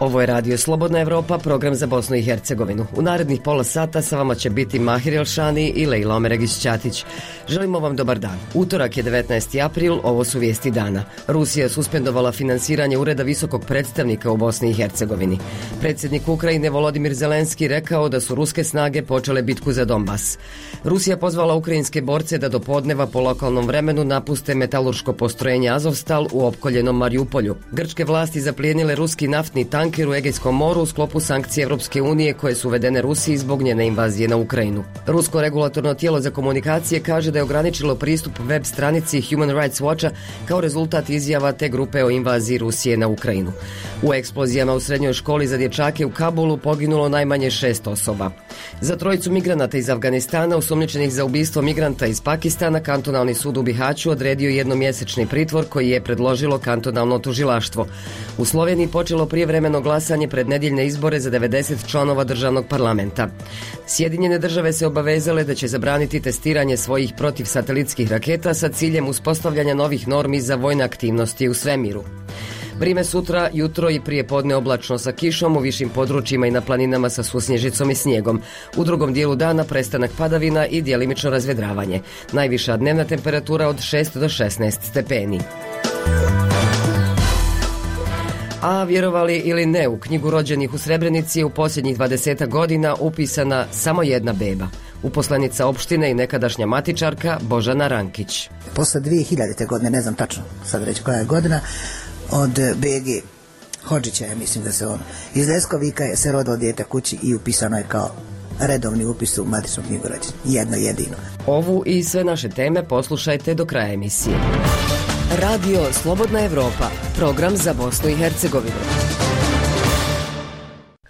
Ovo je Radio Slobodna Evropa, program za Bosnu i Hercegovinu. U narednih pola sata sa vama će biti Mahir Elšani i Lejla Omeregić-Ćatić. Želimo vam dobar dan. Utorak je 19. april, ovo su vijesti dana. Rusija suspendovala finansiranje Ureda visokog predstavnika u Bosni i Hercegovini. Predsjednik Ukrajine Volodimir Zelenski rekao da su ruske snage počele bitku za Donbas. Rusija pozvala ukrajinske borce da do podneva po lokalnom vremenu napuste metalurško postrojenje Azovstal u opkoljenom Mariupolju. Grčke vlasti zaplijenile ruski naftni tanker u Egejskom moru u sklopu sankcije Evropske unije koje su uvedene Rusiji zbog njene invazije na Ukrajinu. Rusko regulatorno tijelo za komunikacije kaže da je ograničilo pristup web stranici Human Rights Watcha kao rezultat izjava te grupe o invaziji Rusije na Ukrajinu. U eksplozijama u srednjoj školi za dječake u Kabulu poginulo najmanje 6 osoba. Za trojicu migranata iz Afganistana osumnjičenih za ubistvo migranta iz Pakistana kantonalni sud u Bihaću odredio jednomjesečni pritvor koji je predložilo kantonalno tužilaštvo. U Sloveniji počelo prijevremeno glasanje pred nedjeljne izbore za 90 članova državnog parlamenta. Sjedinjene države se obavezale da će zabraniti testiranje svojih protivsatelitskih raketa sa ciljem uspostavljanja novih normi za vojne aktivnosti u svemiru. Vrime sutra, jutro i prije podne oblačno sa kišom u višim područjima i na planinama sa susnježicom i snijegom. U drugom dijelu dana prestanak padavina i djelimično razvedravanje. Najviša dnevna temperatura od 6 do 16 stepeni. A vjerovali ili ne, u knjigu rođenih u Srebrenici je u posljednjih 20 godina upisana samo jedna beba. Uposlenica opštine i nekadašnja matičarka Božana Rankić. Posle 2000. godine, ne znam tačno sad reći koja je godina, od BG Hodžića, ja mislim da se on iz Leskovika je se rodilo dijete kući i upisano je kao redovni upis u matičnu knjigu rođenih. Jedno jedino. Ovu i sve naše teme poslušajte do kraja emisije. Radio Slobodna Evropa, program za Bosnu i Hercegovinu.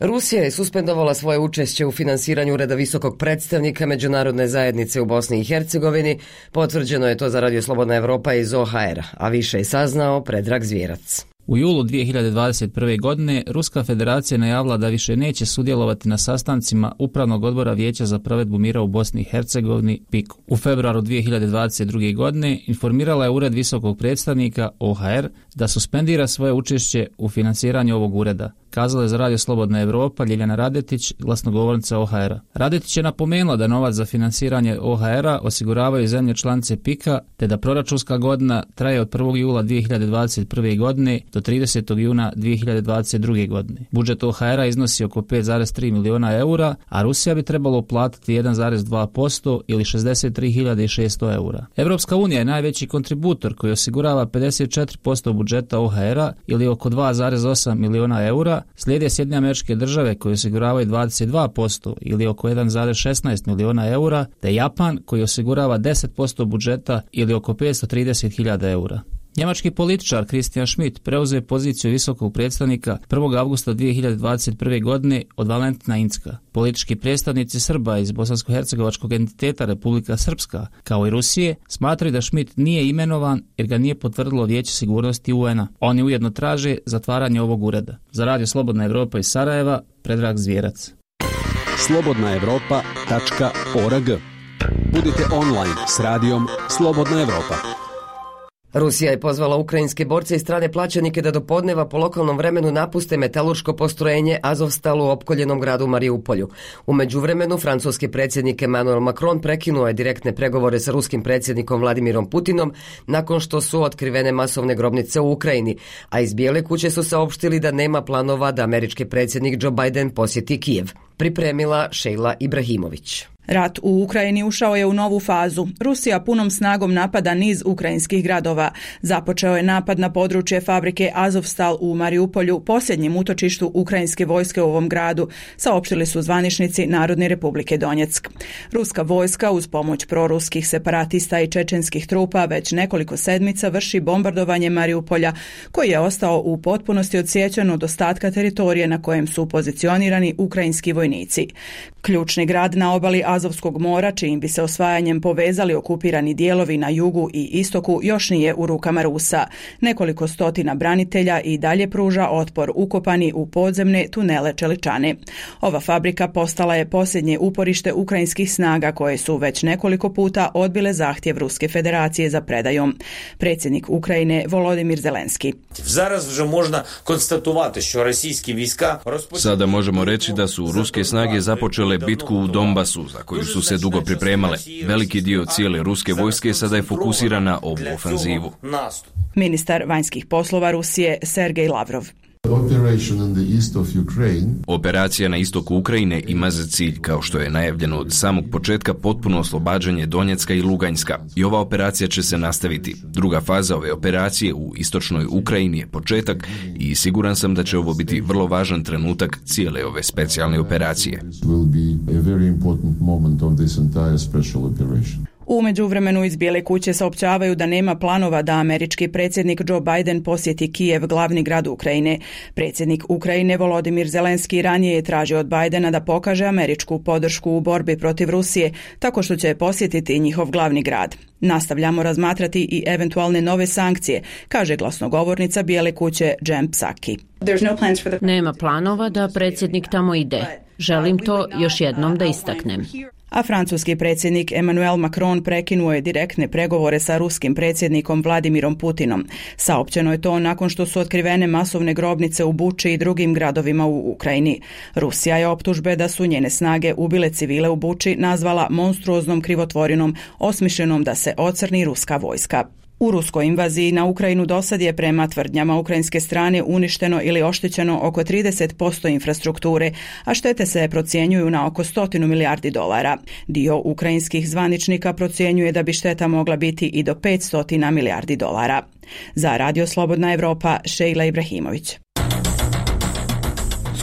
Rusija je suspendovala svoje učešće u finansiranju Ureda visokog predstavnika međunarodne zajednice u Bosni i Hercegovini. Potvrđeno je to za Radio Slobodna Evropa iz OHR, a više je saznao Predrag Zvjerac. U julu 2021. godine Ruska federacija najavila da više neće sudjelovati na sastancima Upravnog odbora Vijeća za provedbu mira u Bosni i Hercegovini PIK-u. U februaru 2022. godine informirala je Ured visokog predstavnika OHR da suspendira svoje učešće u finansiranju ovog ureda, kazala je za Radio Slobodna Evropa Ljiljana Radetić, glasnogovornica OHR-a. Radetić je napomenula da novac za finansiranje OHR-a osiguravaju zemlje članice PIK-a, te da proračunska godina traje od 1. jula 2021. godine do 30. juna 2022. godine. Budžet OHR-a iznosi oko 5,3 miliona eura, a Rusija bi trebalo uplatiti 1,2% ili 63.600 eura. Evropska unija je najveći kontributor koji osigurava 54% budžeta OHR-a ili oko 2,8 miliona eura. Slijede Sjedinjene Američke Države koje osiguravaju 22% ili oko 1,16 miliona eura, te Japan koji osigurava 10% budžeta ili oko 530.000 eura. Njemački političar Christian Schmidt preuzeo je poziciju visokog predstavnika 1. avgusta 2021. godine od Valentina Incka. Politički predstavnici Srba iz bosansko-hercegovačkog entiteta Republika Srpska, kao i Rusije, smatraju da Schmidt nije imenovan jer ga nije potvrdilo Vijeće sigurnosti UN-a. Oni ujedno traže zatvaranje ovog ureda. Za Radio Slobodna Evropa iz Sarajeva, Predrag Zvjerac. slobodnaevropa.org. Budite online s radijom Slobodna Evropa. Rusija je pozvala ukrajinske borce i strane plaćenike da do podneva po lokalnom vremenu napuste metalurško postrojenje Azovstal u opkoljenom gradu Mariupolju. U međuvremenu, francuski predsjednik Emmanuel Macron prekinuo je direktne pregovore sa ruskim predsjednikom Vladimirom Putinom nakon što su otkrivene masovne grobnice u Ukrajini, a iz Bijele kuće su saopštili da nema planova da američki predsjednik Joe Biden posjeti Kijev. Pripremila Šejla Ibrahimović. Rat u Ukrajini ušao je u novu fazu. Rusija punom snagom napada niz ukrajinskih gradova. Započeo je napad na područje fabrike Azovstal u Mariupolju, posljednjem utočištu ukrajinske vojske u ovom gradu, saopštili su zvaničnici Narodne Republike Donjeck. Ruska vojska uz pomoć proruskih separatista i čečenskih trupa već nekoliko sedmica vrši bombardovanje Mariupolja, koji je ostao u potpunosti odsječen od ostatka teritorije na kojem su pozicionirani ukrajinski vojnici. Ključni grad na obali Azovskog mora, čijim bi se osvajanjem povezali okupirani dijelovi na jugu i istoku, još nije u rukama Rusa. Nekoliko stotina branitelja i dalje pruža otpor ukopani u podzemne tunele čeličane. Ova fabrika postala je posljednje uporište ukrajinskih snaga koje su već nekoliko puta odbile zahtjev Ruske federacije za predajom. Predsjednik Ukrajine Volodimir Zelenski. Sada možemo reći da su ruske snage započele bitku u Donbasu, za koju su se dugo pripremale. Veliki dio cijele ruske vojske sada je fokusiran na ovu ofenzivu. Ministar vanjskih poslova Rusije Sergej Lavrov. Operacija na istoku Ukrajine ima za cilj, kao što je najavljeno od samog početka, potpuno oslobađanje Donjecka i Luganjska. I ova operacija će se nastaviti. Druga faza ove operacije u istočnoj Ukrajini je početak i siguran sam da će ovo biti vrlo važan trenutak cijele ove specijalne operacije. U međuvremenu iz Bijele kuće saopćavaju da nema planova da američki predsjednik Joe Biden posjeti Kijev, glavni grad Ukrajine. Predsjednik Ukrajine Volodimir Zelenski ranije je tražio od Bidena da pokaže američku podršku u borbi protiv Rusije, tako što će posjetiti njihov glavni grad. Nastavljamo razmatrati i eventualne nove sankcije, kaže glasnogovornica Bijele kuće Jen Psaki. Nema planova da predsjednik tamo ide. Želim to još jednom da istaknem. A francuski predsjednik Emmanuel Macron prekinuo je direktne pregovore sa ruskim predsjednikom Vladimirom Putinom. Saopćeno je to nakon što su otkrivene masovne grobnice u Buči i drugim gradovima u Ukrajini. Rusija je optužbe da su njene snage ubile civile u Buči nazvala monstruoznom krivotvorinom, osmišljenom da se ocrni ruska vojska. U ruskoj invaziji na Ukrajinu dosad je prema tvrdnjama ukrajinske strane uništeno ili oštećeno oko 30% infrastrukture, a štete se procjenjuju na oko 100 milijardi dolara. Dio ukrajinskih zvaničnika procjenjuje da bi šteta mogla biti i do 500 milijardi dolara. Za Radio Slobodna Evropa, Šejla Ibrahimović.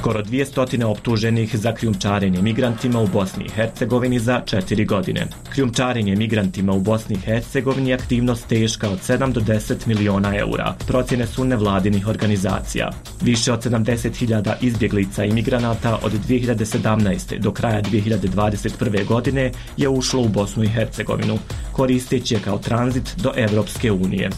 Skoro 200 optuženih za krijumčarenje migrantima u Bosni i Hercegovini za 4 godine. Krijumčarenje migrantima u Bosni i Hercegovini je aktivnost teška od 7 do 10 miliona eura. Procjene su nevladinih organizacija. Više od 70.000 izbjeglica i migranata od 2017. do kraja 2021. godine je ušlo u Bosnu i Hercegovinu, koristeći je kao tranzit do Evropske unije.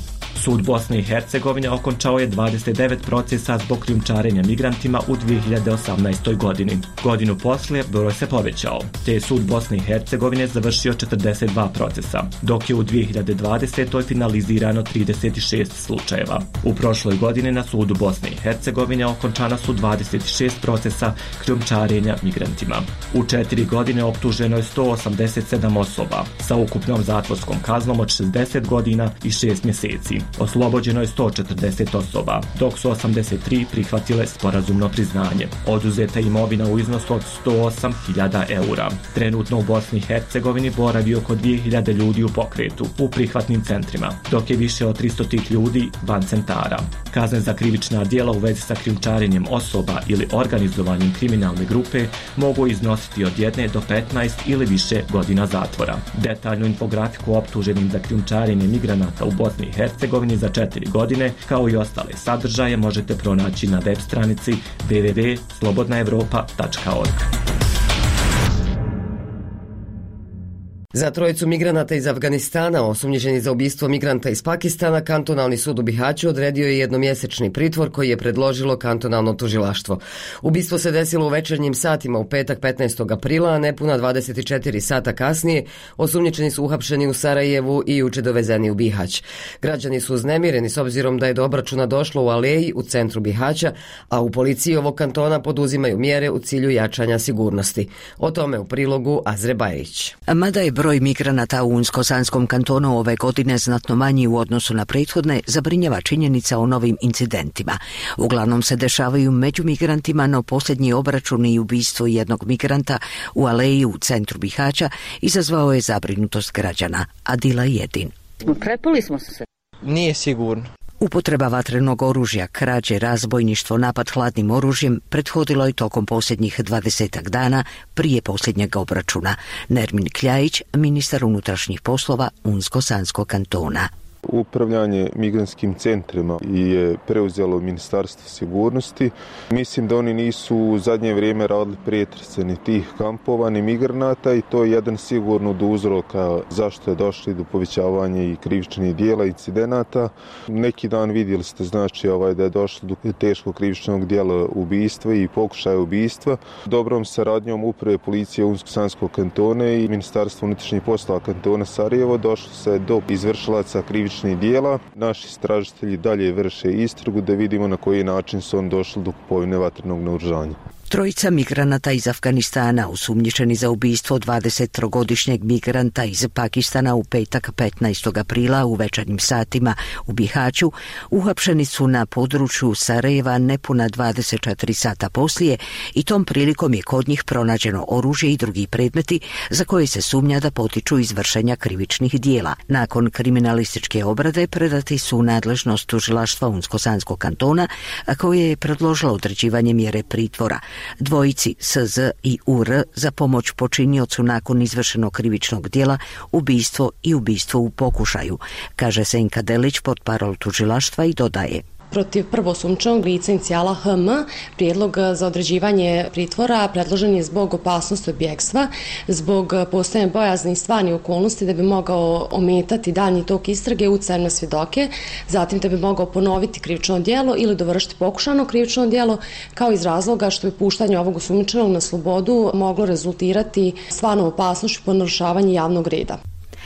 Sud Bosne i Hercegovine okončao je 29 procesa zbog krijumčarenja migrantima u 2018. godini. Godinu poslije broj se povećao, te je Sud Bosne i Hercegovine završio 42 procesa, dok je u 2020. finalizirano 36 slučajeva. U prošloj godini na Sudu Bosne i Hercegovine okončana su 26 procesa krijumčarenja migrantima. U 4 godine optuženo je 187 osoba sa ukupnom zatvorskom kaznom od 60 godina i 6 mjeseci. Oslobođeno je 140 osoba, dok su 83 prihvatile sporazumno priznanje. Oduzeta imovina u iznosu od 108.000 eura. Trenutno u Bosni i Hercegovini boravi oko 2.000 ljudi u pokretu, u prihvatnim centrima, dok je više od 300 tih ljudi van centara. Kazne za krivična djela u vezi sa krijumčarenjem osoba ili organizovanjem kriminalne grupe mogu iznositi od 1 do 15 ili više godina zatvora. Detaljnu infografiku optuženim za krijumčarenje migranata u Bosni i Hercegovini za 4 godine, kao i ostale sadržaje, možete pronaći na web stranici www.slobodnaevropa.org. Za trojicu migranata iz Afganistana, osumnjičeni za ubistvo migranta iz Pakistana, kantonalni sud u Bihaću odredio je jednomjesečni pritvor koji je predložilo kantonalno tužilaštvo. Ubistvo se desilo u večernjim satima u petak 15. aprila, a nepuna 24 sata kasnije osumnjičeni su uhapšeni u Sarajevu i juče dovezeni u Bihać. Građani su uznemireni s obzirom da je do obračuna došlo u Aleji u centru Bihaća, a u policiji ovog kantona poduzimaju mjere u cilju jačanja sigurnosti. O tome u prilogu Azre Bajić. Mada je broj migranata u Unsko-Sanskom kantonu ove godine znatno manji u odnosu na prethodne, zabrinjava činjenica o novim incidentima. Uglavnom se dešavaju među migrantima, no posljednji obračun i ubistvo jednog migranta u Aleji u centru Bihaća izazvao je zabrinutost građana. Adila Jedin. Prepali smo se. Nije sigurno. Upotreba vatrenog oružja, krađe, razbojništvo, napad hladnim oružjem prethodilo je tokom posljednjih 20 dana prije posljednjeg obračuna. Nermin Kljajić, ministar unutrašnjih poslova Unsko-Sanskog kantona. Upravljanje migrantskim centrima je preuzelo Ministarstvo sigurnosti. Mislim da oni nisu u zadnje vrijeme radili pretrese ni tih kampova, ni migranata i to je jedan sigurno od uzroka zašto je došli do povećavanja i krivičnih dijela, incidenata. Neki dan vidjeli ste znači da je došlo do teškog krivičnog dijela ubistva i pokušaja ubistva. Dobrom saradnjom uprave policije Unsko-Sanskog kantona i Ministarstva unutrašnjih poslova kantona Sarajevo došlo se do izvršilaca krivičnih dijela. Naši istražitelji dalje vrše istragu da vidimo na koji način su on došli do kupovine vatrenog naoružanja. Trojica migranata iz Afganistana osumnjičeni za ubistvo 23-godišnjeg migranta iz Pakistana u petak 15. aprila u večernjim satima u Bihaću uhapšeni su na području Sarajeva nepuna 24 sata poslije i tom prilikom je kod njih pronađeno oružje i drugi predmeti za koje se sumnja da potiču iz vršenja krivičnih dijela. Nakon kriminalističke obrade predati su u nadležnost tužilaštva Unsko-Sanskog kantona, a koje je predložilo određivanje mjere pritvora dvojici SZ i UR za pomoć počiniocu nakon izvršenog krivičnog djela, ubistvo i ubistvo u pokušaju, kaže Senka Delić, portparol tužilaštva, i dodaje: Protiv prvosumnjičenog lica inicijala HM prijedlog za određivanje pritvora predložen je zbog opasnosti od bjegstva, zbog postojanja bojazni i stvarnih okolnosti da bi mogao ometati daljnji tok istrage utjecajem na svjedoke, zatim da bi mogao ponoviti krivično djelo ili dovršiti pokušano krivično djelo, kao iz razloga što bi puštanje ovog osumnjičenog na slobodu moglo rezultirati stvarnom opasnošću po narušavanju javnog reda.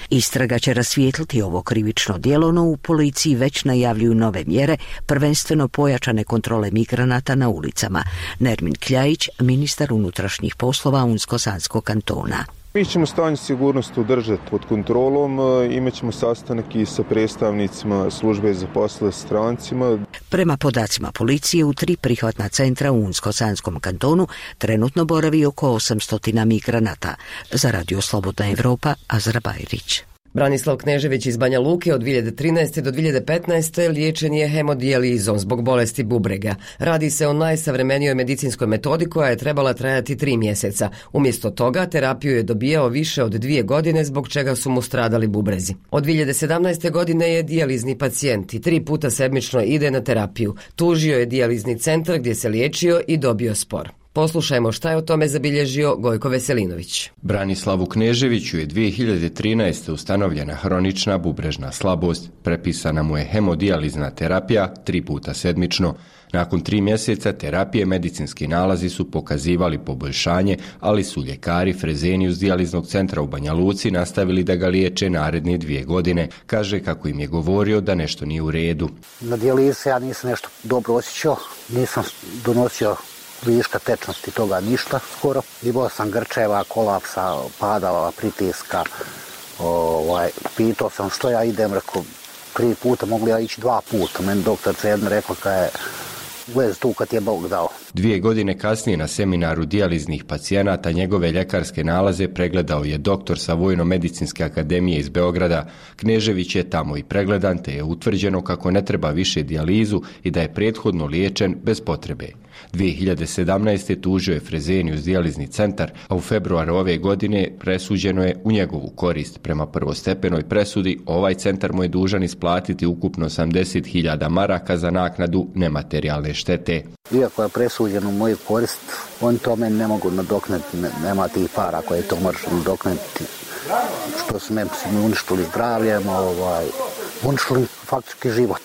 Istraga će rasvijetliti ovo krivično djelo, no u policiji već najavljuju nove mjere, prvenstveno pojačane kontrole migranata na ulicama. Nermin Kljajić, ministar unutrašnjih poslova Unsko-Sanskog kantona. Mi ćemo stanje sigurnosti udržati pod kontrolom, imat ćemo sastanak i sa predstavnicima službe za poslove strancima. Prema podacima policije, u 3 prihvatna centra u Unsko-Sanskom kantonu trenutno boravi oko 800 migranata. Za Radio Slobodna Evropa, Azra Bajrić. Branislav Knežević iz Banja Luke od 2013. do 2015. liječen je hemodijelizom zbog bolesti bubrega. Radi se o najsavremenijoj medicinskoj metodi koja je trebala trajati 3 mjeseca. Umjesto toga terapiju je dobijao više od 2 godine zbog čega su mu stradali bubrezi. Od 2017. godine je dijalizni pacijent i 3 puta sedmično ide na terapiju. Tužio je dijalizni centar gdje se liječio i dobio spor. Poslušajmo šta je o tome zabilježio Gojko Veselinović. Branislavu Kneževiću je 2013. ustanovljena hronična bubrežna slabost, prepisana mu je hemodijalizna terapija 3 puta sedmično. Nakon 3 mjeseca terapije medicinski nalazi su pokazivali poboljšanje, ali su ljekari Fresenius dijaliznog centra u Banja Luci nastavili da ga liječe naredne 2 godine. Kaže kako im je govorio da nešto nije u redu. Na dijalizi ja nisam nešto dobro osjećao, nisam donosio viška tečnosti, toga ništa skoro. Imao sam grčeva, kolapsa, padala, pritiska. Pitao sam što ja idem, rekao 3 puta, mogu ja ići 2 puta. Meni doktorica jedna rekla kada je vez tu kad je Bog dao. 2 godine kasnije na seminaru dijaliznih pacijenata njegove ljekarske nalaze pregledao je doktor sa Vojno-medicinske akademije iz Beograda. Knežević je tamo i pregledan, te je utvrđeno kako ne treba više dijalizu i da je prethodno liječen bez potrebe. 2017. tužio je Fresenius dijalizni centar, a u februaru ove godine presuđeno je u njegovu korist. Prema prvostepenoj presudi, ovaj centar mu je dužan isplatiti ukupno 80.000 maraka za naknadu nematerijalne štete. Iako je presuđeno u moju korist, oni to meni ne mogu nadoknaditi, nema tih para koje to možeš nadoknaditi. Što su me uništili zdravljem, uništili faktički život.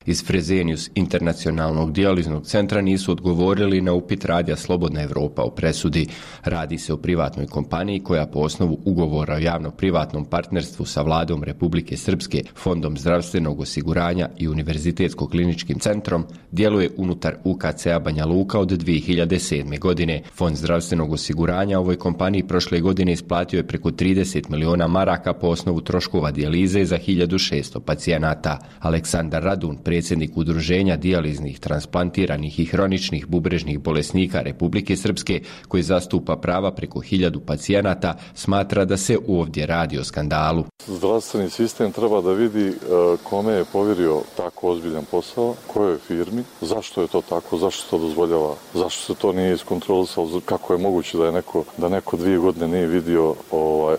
Iz Fresenius internacionalnog dijaliznog centra nisu odgovorili na upit radija Slobodna Evropa o presudi. Radi se o privatnoj kompaniji koja po osnovu ugovora o javno-privatnom partnerstvu sa vladom Republike Srpske, Fondom zdravstvenog osiguranja i Univerzitetskog kliničkim centrom djeluje unutar UKC-a Banja Luka od 2007. godine. Fond zdravstvenog osiguranja ovoj kompaniji prošle godine isplatio je preko 30 miliona maraka po osnovu troškova dijalize za 1600 pacijenata. Aleksandar Radun, predsjednik Udruženja dijaliznih, transplantiranih i hroničnih bubrežnih bolesnika Republike Srpske, koji zastupa prava preko 1000 pacijenata, smatra da se ovdje radi o skandalu. Zdravstveni sistem treba da vidi kome je povjerio tako ozbiljan posao, kojoj firmi, zašto je to tako, zašto se to dozvoljava, zašto se to nije iskontrolisalo, kako je moguće da neko 2 godine nije vidio,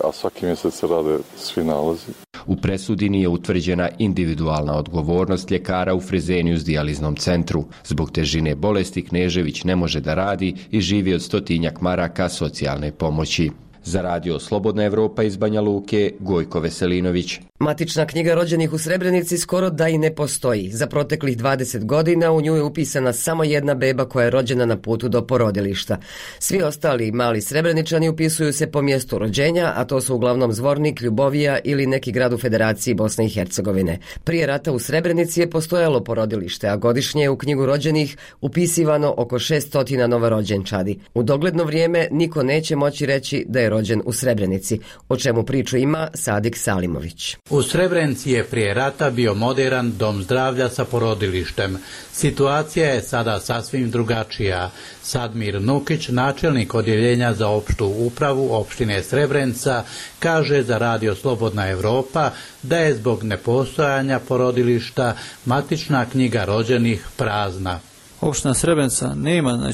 a svaki mjesec se rade svi nalazi. U presudi nije utvrđena individualna odgovornost ljekara u Fresenius dijaliznom centru. Zbog težine bolesti Knežević ne može da radi i živi od 100 maraka socijalne pomoći. Za radio Slobodna Evropa iz Banja Luke, Gojko Veselinović. Matična knjiga rođenih u Srebrenici skoro da i ne postoji. Za proteklih 20 godina u nju je upisana samo jedna beba koja je rođena na putu do porodilišta. Svi ostali mali Srebreničani upisuju se po mjestu rođenja, a to su uglavnom Zvornik, Ljubovija ili neki grad u Federaciji Bosne i Hercegovine. Prije rata u Srebrenici je postojalo porodilište, a godišnje je u knjigu rođenih upisivano oko 600 novorođenčadi. U dogledno vrijeme niko neće moći reći da je rođen u Srebrenici, o čemu priču ima Sadik Salimović. U Srebrenici je prije rata bio moderan dom zdravlja sa porodilištem. Situacija je sada sasvim drugačija. Sadmir Nukić, načelnik odjeljenja za opštu upravu opštine Srebrenica, kaže za radio Slobodna Evropa da je zbog nepostojanja porodilišta matična knjiga rođenih prazna. Opština Srebrenica nema,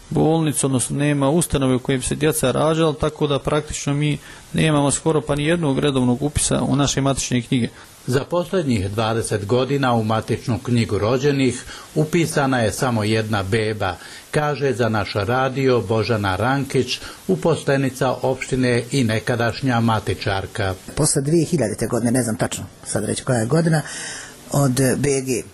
bolnicu, odnosno nema ustanove u kojim se djeca rađala, tako da praktično mi nemamo skoro pa ni jednog redovnog upisa u naše matične knjige. Za posljednjih 20 godina u matičnu knjigu rođenih upisana je samo jedna beba, kaže za naš radio Božana Rankić, uposlenica opštine i nekadašnja matičarka. Posle 2000. godine, ne znam tačno sad reći koja je godina, od BG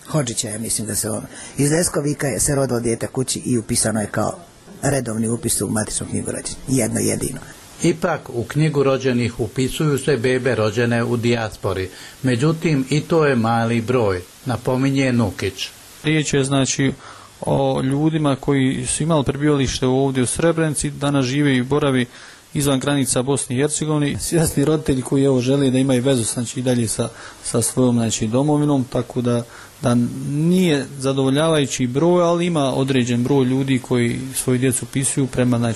Hodžića, ja mislim da se on. Iz Leskovika je se rodilo dijete kući i upisano je kao redovni upis u matičnu knjigu rođenih. Jedno jedino. Ipak u knjigu rođenih upisuju se bebe rođene u dijaspori. Međutim, i to je mali broj, napominje Nukić. Riječ je o ljudima koji su imali prebivalište ovdje u Srebrenici, danas žive i boravi izvan granica Bosne i Hercegovine. Svjesni roditelji koji žele da imaju vezu i dalje sa svojom domovinom, tako da nije zadovoljavajući broj, ali ima određen broj ljudi koji svoju djecu upisuju prema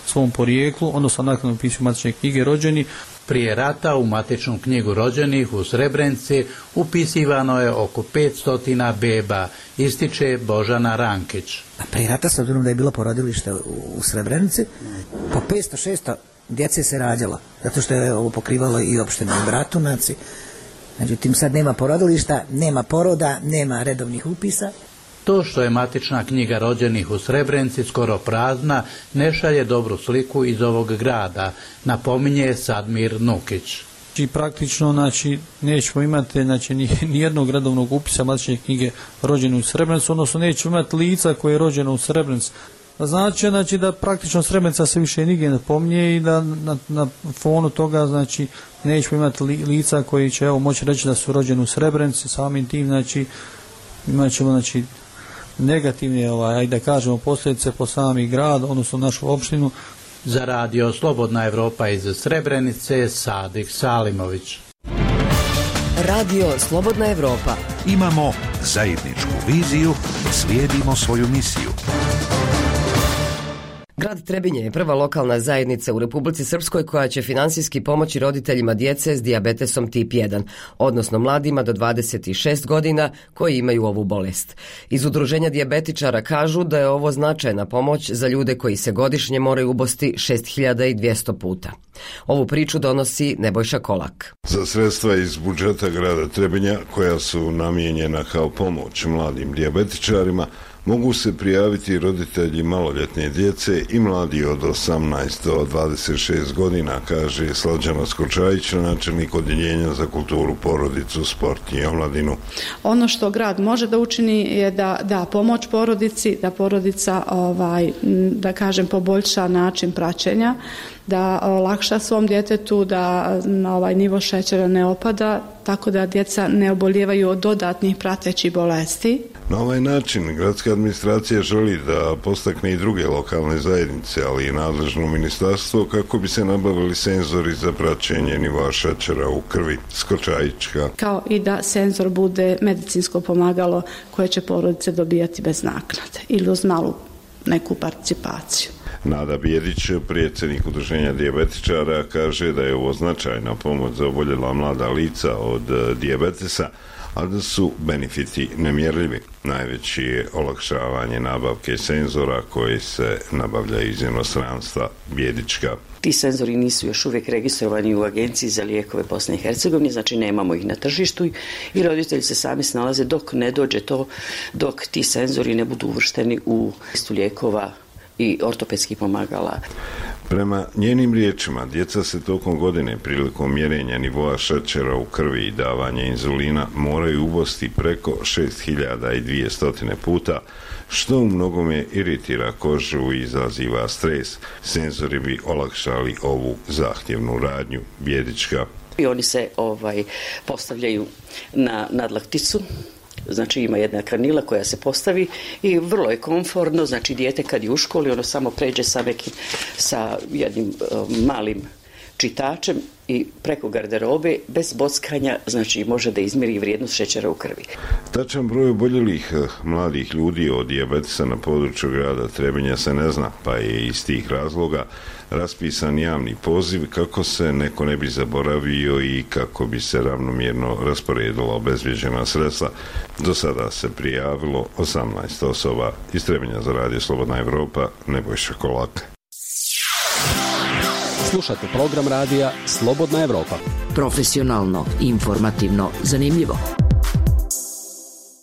svom porijeklu, odnosno naknadno upisuju matične knjige rođeni. Prije rata u matičnu knjigu rođenih u Srebrenici upisivano je oko 500 beba, ističe Božana Rankić. Prije rata, s obzirom da je bilo porodilište u Srebrenici, po 500-600 djece se rađalo, zato što je ovo pokrivalo i opštinu Bratunac. Međutim, sad nema porodilišta, nema poroda, nema redovnih upisa. To što je matična knjiga rođenih u Srebrenici skoro prazna, ne šalje dobru sliku iz ovog grada, napominje Sadmir Nukić. I praktično, nećemo imati ni jednog redovnog upisa matične knjige rođene u Srebrenici, odnosno nećemo imati lica koje je rođeno u Srebrenici. Znači da praktično Srebrenica se više nigdje ne pominje i da na fonu toga nećemo imati lica koji će moći reći da su rođeni u Srebrenici, samim tim imat ćemo negativne, da kažemo, posljedice po sami grad, odnosno našu opštinu. Za radio Slobodna Evropa iz Srebrenice, Sadik Salimović. Radio Slobodna Evropa. Imamo zajedničku viziju, slijedimo svoju misiju. Grad Trebinje je prva lokalna zajednica u Republici Srpskoj koja će finansijski pomoći roditeljima djece s dijabetesom tip 1, odnosno mladima do 26 godina koji imaju ovu bolest. Iz udruženja dijabetičara kažu da je ovo značajna pomoć za ljude koji se godišnje moraju ubosti 6200 puta. Ovu priču donosi Nebojša Kolak. Za sredstva iz budžeta grada Trebinja koja su namijenjena kao pomoć mladim dijabetičarima mogu se prijaviti roditelji maloljetne djece i mladi od 18 do 26 godina, kaže Slađana Skočajić, načelnik odjeljenja za kulturu, porodicu, sport i omladinu. Ono što grad može da učini je da da pomoć porodici, da porodica da kažem poboljša način praćenja, da olakša svom djetetu da nivo šećera ne opada, tako da djeca ne obolijevaju od dodatnih pratećih bolesti. Na ovaj način gradska administracija želi da postakne i druge lokalne zajednice, ali i nadležno ministarstvo kako bi se nabavili senzori za praćenje nivoa šećera u krvi. Skočajićka. Kao i da senzor bude medicinsko pomagalo koje će porodice dobijati bez naknade ili uz malu neku participaciju. Nada Bijedić, predsjednik udruženja dijabetičara, kaže da je ovo značajna pomoć za oboljela mlada lica od dijabetesa, a da su benefiti nemjerljivi. Najveći je olakšavanje nabavke senzora koji se nabavljaju iz inostranstva. Bjedička. Ti senzori nisu još uvijek registrovani u Agenciji za lijekove Bosne i Hercegovine, znači nemamo ih na tržištu i roditelji se sami snalaze dok ne dođe to, dok ti senzori ne budu uvršteni u listu lijekova i ortopedskih pomagala. Prema njenim riječima, djeca se tokom godine prilikom mjerenja nivoa šećera u krvi i davanja inzulina moraju ubosti preko 6200 puta, što u mnogome iritira kožu i izaziva stres. Senzori bi olakšali ovu zahtjevnu radnju. Bjedička. I oni se postavljaju na nadlakticu. Znači ima jedna kanila koja se postavi i vrlo je komfortno, znači dijete kad je u školi ono samo pređe sa jednim malim čitačem i preko garderobe bez bockanja, znači može da izmjeri vrijednost šećera u krvi. Tačan broj oboljelih mladih ljudi od dijabetesa na području grada Trebinja se ne zna, pa je iz tih razloga raspisan javni poziv kako se neko ne bi zaboravio i kako bi se ravnomjerno rasporedila obezvjeđena sredstva. Do sada se prijavilo 18 osoba. Iz Trebinja za Radio Slobodna Evropa, Nebojša Kolak. Slušate program radija Slobodna Evropa. Profesionalno, informativno, zanimljivo.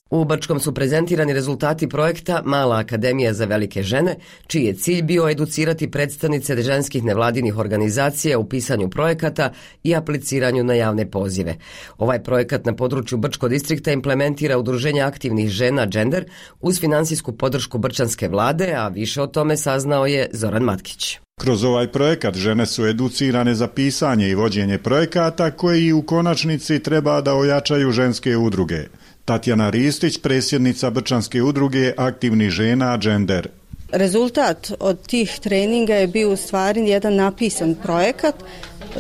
U Brčkom su prezentirani rezultati projekta Mala akademija za velike žene, čiji je cilj bio educirati predstavnice ženskih nevladinih organizacija u pisanju projekata i apliciranju na javne pozive. Ovaj projekat na području Brčkog distrikta implementira Udruženje aktivnih žena Gender uz finansijsku podršku brčanske vlade, a više o tome saznao je Zoran Matkić. Kroz ovaj projekat žene su educirane za pisanje i vođenje projekata koji u konačnici treba da ojačaju ženske udruge. Tatjana Ristić, predsjednica Brčanske udruge aktivnih žena Gender. Rezultat od tih treninga je bio u stvari jedan napisan projekat.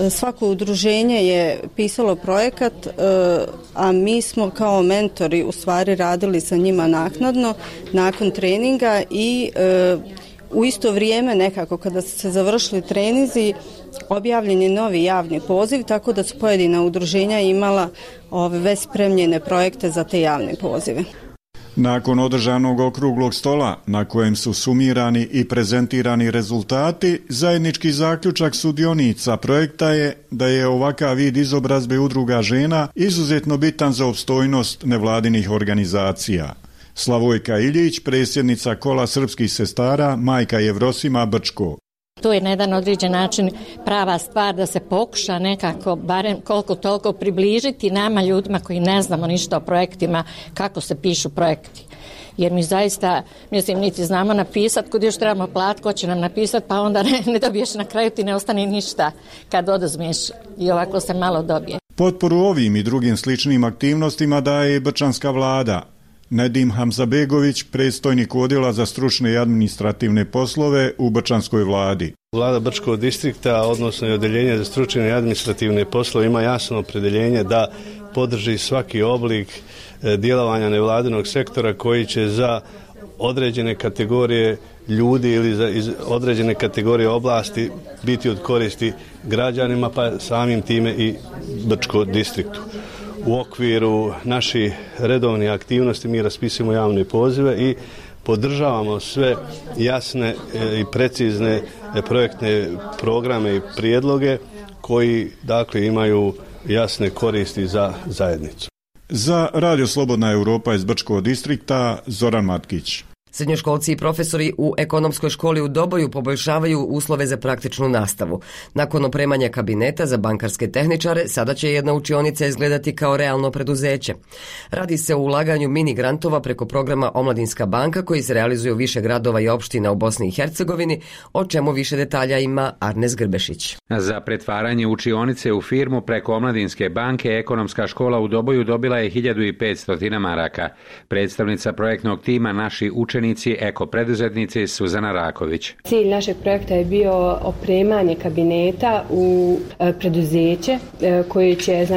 Svako udruženje je pisalo projekat, a mi smo kao mentori u stvari radili sa njima naknadno, nakon treninga i u isto vrijeme nekako kada su se završili treninzi objavljen je novi javni poziv, tako da su pojedina udruženja imala već spremljene projekte za te javne pozive. Nakon održanog okruglog stola na kojem su sumirani i prezentirani rezultati, zajednički zaključak sudionica projekta je da je ovakav vid izobrazbe udruga žena izuzetno bitan za opstojnost nevladinih organizacija. Slavojka Iljić, predsjednica Kola srpskih sestara, majka Jevrosima Brčko. To je na jedan određen način prava stvar da se pokuša nekako, barem koliko toliko približiti nama ljudima koji ne znamo ništa o projektima, kako se pišu projekti. Jer mi zaista, niti znamo napisati, kod još trebamo platiti, ko će nam napisati, pa onda ne dobiješ na kraju, ti ne ostane ništa kad oduzmeš i ovako se malo dobije. Potporu ovim i drugim sličnim aktivnostima daje i brčanska vlada. Nedim Hamzabegović, predstojnik odjela za stručne i administrativne poslove u Brčanskoj vladi. Vlada Brčkog distrikta, odnosno i odeljenje za stručne i administrativne poslove, ima jasno opredeljenje da podrži svaki oblik djelovanja nevladinog sektora koji će za određene kategorije ljudi ili za određene kategorije oblasti biti od koristi građanima, pa samim time i Brčkog distriktu. U okviru naših redovnih aktivnosti mi raspisujemo javne pozive i podržavamo sve jasne i precizne projektne programe i prijedloge koji dakle imaju jasne koristi za zajednicu. Za Radio Slobodna Evropa iz Brčkog distrikta, Zoran Matkić. Srednjoškolci i profesori u ekonomskoj školi u Doboju poboljšavaju uslove za praktičnu nastavu. Nakon opremanja kabineta za bankarske tehničare, sada će jedna učionica izgledati kao realno preduzeće. Radi se o ulaganju mini grantova preko programa Omladinska banka koji se realizuje u više gradova i opština u Bosni i Hercegovini, o čemu više detalja ima Arnes Grbešić. Za pretvaranje učionice u firmu preko Omladinske banke ekonomska škola u Doboju dobila je 1500 maraka. Predstavnica projektnog tima Naši učenici eko preduzetnici Suzana Raković. Cilj našeg projekta je bio opremanje kabineta u preduzeće koje će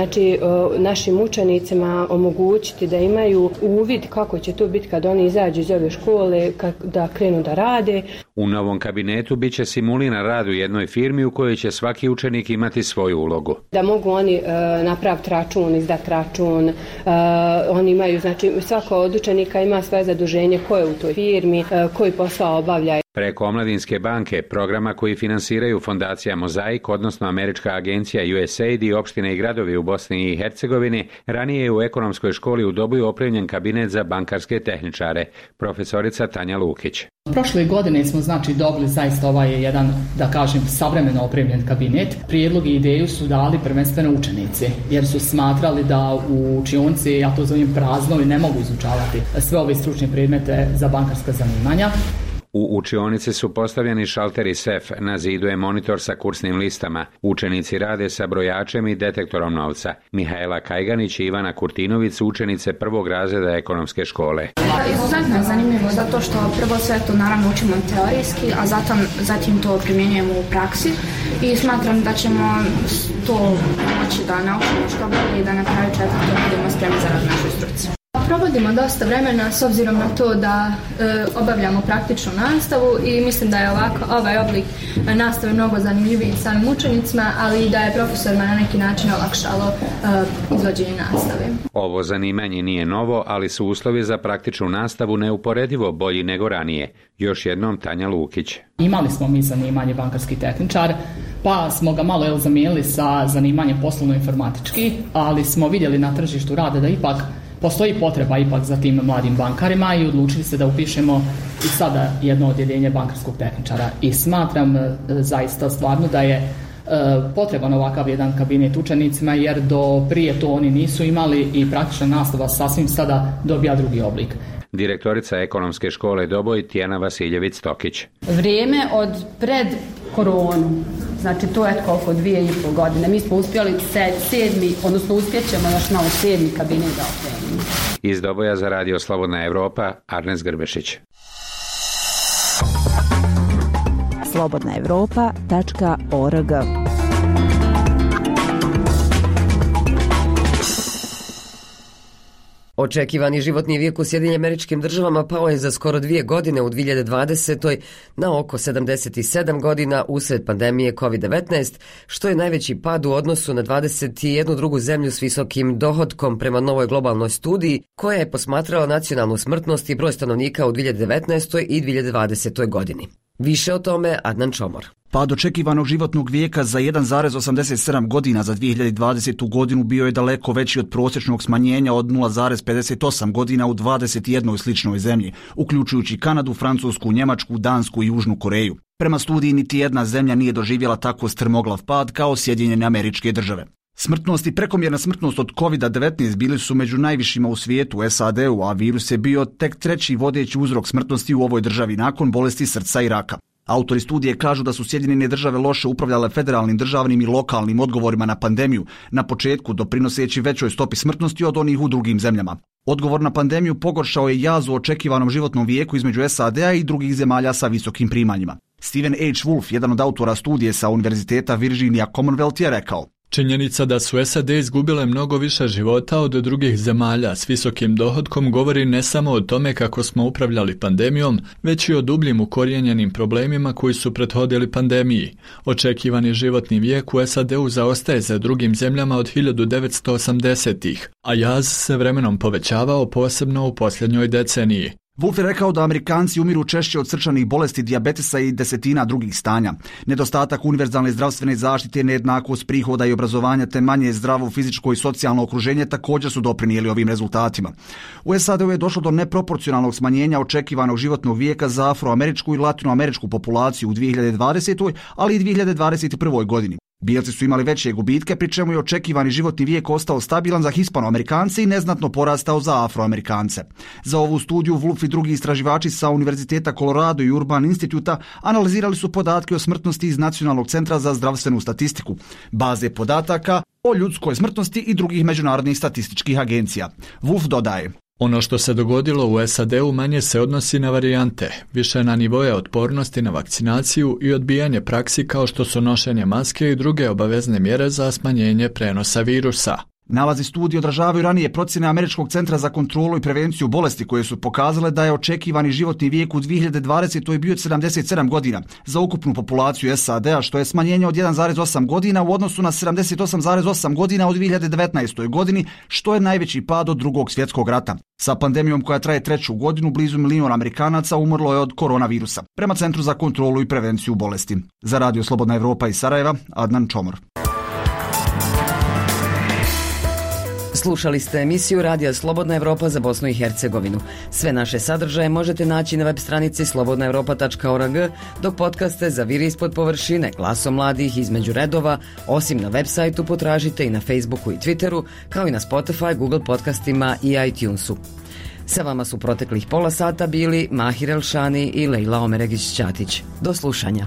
našim učenicima omogućiti da imaju uvid kako će to biti kad oni izađu iz ove škole, da krenu da rade. U novom kabinetu bit će simuliran rad u jednoj firmi u kojoj će svaki učenik imati svoju ulogu. Da mogu oni napraviti račun, izdati račun, oni imaju, znači svako od učenika ima svoje zaduženje ko je u toj firmi, koji posao obavlja. Preko Omladinske banke, programa koji finansiraju fondacija Mozaik, odnosno američka agencija USAID i opštine i gradovi u Bosni i Hercegovini, ranije je u ekonomskoj školi u Doboju opremljen kabinet za bankarske tehničare. Profesorica Tanja Lukić. Prošle godine smo znači dobili zaista ovaj jedan, da kažem, savremeno opremljen kabinet. Prijedlog i ideju su dali prvenstveno učenici, jer su smatrali da u učionici, ja to zovem prazno, i ne mogu izučavati sve ove stručne predmete za bankarska zanimanja. U učionici su postavljeni šalteri sef, na zidu je monitor sa kursnim listama. Učenici rade sa brojačem i detektorom novca. Mihajla Kajganić i Ivana Kurtinović su učenice prvog razreda ekonomske škole. Izuzetno je zanimljivo zato što prvo sve to naravno učimo teorijski, a zatim to primjenjujemo u praksi i smatram da ćemo to moći da naučimo što bolje i da na kraju četvrtog budemo spremni za rad našoj struci. Provodimo dosta vremena s obzirom na to da obavljamo praktičnu nastavu i mislim da je ovaj oblik nastave mnogo zanimljiviji samim učenicima, ali i da je profesorima na neki način olakšalo izvođenje nastave. Ovo zanimanje nije novo, ali su uslovi za praktičnu nastavu neuporedivo bolji nego ranije. Još jednom Tanja Lukić. Imali smo mi zanimanje bankarski tehničar, pa smo ga malo zamijenili sa zanimanjem poslovno-informatički, ali smo vidjeli na tržištu rada da ipak postoji potreba ipak za tim mladim bankarima i odlučili se da upišemo i sada jedno odjeljenje bankarskog tehničara. I smatram zaista stvarno da je potreban ovakav jedan kabinet učenicima, jer do prije to oni nisu imali i praktična nastava sasvim sada dobija drugi oblik. Direktorica ekonomske škole Doboj Tijana Vasiljević-Tokić. Vrijeme od pred koronu, znači to je koliko 2,5 godine. Mi smo uspjeli uspjećemo još malo 7. kabinet da opremimo. Iz Doboja za Radio Slobodna Evropa, Arnes Grbešić. slobodnaevropa.org. Očekivani životni vijek u Sjedinjenim Američkim Državama pao je za skoro 2 godine u 2020. na oko 77 godina usred pandemije COVID-19, što je najveći pad u odnosu na 21 drugu zemlju s visokim dohotkom prema novoj globalnoj studiji koja je posmatrala nacionalnu smrtnost i broj stanovnika u 2019. i 2020. godini. Više o tome Adnan Čomor. Pad očekivanog životnog vijeka za 1,87 godina za 2020. godinu bio je daleko veći od prosječnog smanjenja od 0,58 godina u 21 sličnoj zemlji, uključujući Kanadu, Francusku, Njemačku, Dansku i Južnu Koreju. Prema studiji niti jedna zemlja nije doživjela tako strmoglav pad kao Sjedinjene Američke Države. Smrtnost i prekomjerna smrtnost od COVID-19 bili su među najvišima u svijetu, u SAD-u, a virus je bio tek treći vodeći uzrok smrtnosti u ovoj državi nakon bolesti srca i raka. Autori studije kažu da su Sjedinjene Države loše upravljale federalnim, državnim i lokalnim odgovorima na pandemiju, na početku doprinoseći većoj stopi smrtnosti od onih u drugim zemljama. Odgovor na pandemiju pogoršao je jaz u očekivanom životnom vijeku između SAD-a i drugih zemalja sa visokim primanjima. Stephen H. Wolf, jedan od autora studije sa Univerziteta Virginia Commonwealth, je rekao: činjenica da su SAD izgubile mnogo više života od drugih zemalja s visokim dohotkom govori ne samo o tome kako smo upravljali pandemijom, već i o dubljim ukorijenjenim problemima koji su prethodili pandemiji. Očekivani životni vijek u SAD-u zaostaje za drugim zemljama od 1980-ih, a jaz se vremenom povećavao posebno u posljednjoj deceniji. Wolf je rekao da Amerikanci umiru češće od srčanih bolesti, dijabetesa i desetina drugih stanja. Nedostatak univerzalne zdravstvene zaštite, nejednakost prihoda i obrazovanja te manje zdravo fizičko i socijalno okruženje također su doprinijeli ovim rezultatima. U SAD-u je došlo do neproporcionalnog smanjenja očekivanog životnog vijeka za afroameričku i latinoameričku populaciju u 2020. ali i 2021. godini. Bijelci su imali veće gubitke, pri čemu je očekivani životni vijek ostao stabilan za Hispanoamerikance i neznatno porastao za Afroamerikance. Za ovu studiju Wolf i drugi istraživači sa Univerziteta Colorado i Urban Instituta analizirali su podatke o smrtnosti iz Nacionalnog centra za zdravstvenu statistiku, baze podataka o ljudskoj smrtnosti i drugih međunarodnih statističkih agencija. Wolf dodaje: ono što se dogodilo u SAD-u manje se odnosi na varijante, više na nivoje otpornosti na vakcinaciju i odbijanje praksi kao što su nošenje maske i druge obavezne mjere za smanjenje prenosa virusa. Nalazi studije odražavaju ranije procjene Američkog centra za kontrolu i prevenciju bolesti koje su pokazale da je očekivani životni vijek u 2020. bio 77 godina za ukupnu populaciju SAD-a, što je smanjenje od 1,8 godina u odnosu na 78,8 godina u 2019. godini, što je najveći pad od Drugog svjetskog rata. Sa pandemijom koja traje 3. godinu, blizu 1 milion Amerikanaca umrlo je od koronavirusa, prema Centru za kontrolu i prevenciju bolesti. Za Radio Slobodna Evropa iz Sarajeva, Adnan Čomor. Slušali ste emisiju Radija Slobodna Evropa za Bosnu i Hercegovinu. Sve naše sadržaje možete naći na web stranici slobodnaevropa.org, dok podcaste Zaviri ispod površine, Glasom mladih, Između redova, osim na web sajtu potražite i na Facebooku i Twitteru, kao i na Spotify, Google podcastima i iTunesu. Sa vama su proteklih pola sata bili Mahir Elšani i Lejla Omeregić-Ćatić. Do slušanja.